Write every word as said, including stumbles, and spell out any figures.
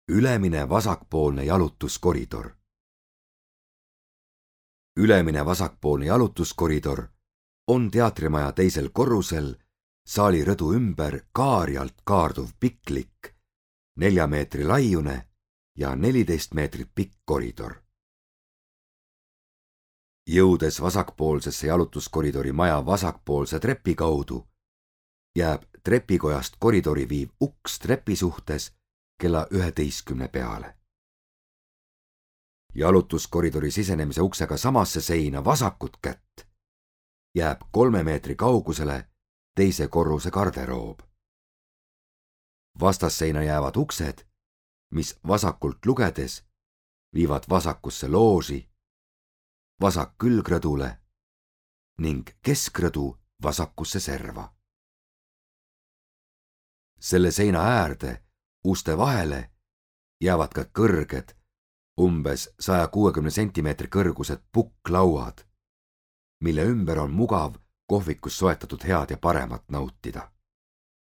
Ülemine vasakpoolne jalutuskoridor. Ülemine vasakpoolne jalutuskoridor on teatrimaja teisel korrusel saali rõdu ümber kaarjalt kaarduv piklik, nelja meetri laiune ja neliteist meetrit pikk koridor. Jõudes vasakpoolsesse jalutuskoridori maja vasakpoolse trepi kaudu, jääb trepikojast koridori viiv uks trepi suhtes kella üheteistkümne peale. Jalutuskoridori sisenemise uksega samasse seina vasakut kätt jääb kolme meetri kaugusele teise korruse garderoob. Vastasseina jäävad uksed, mis vasakult lugedes viivad vasakusse looži, vasak külgrõdule ning keskrõdu vasakusse serva. Selle seina äärde uste vahele jäävad ka kõrged, umbes saja kuuekümne sentimeetri kõrgused pukklauad, mille ümber on mugav kohvikus soetatud head ja paremat nautida.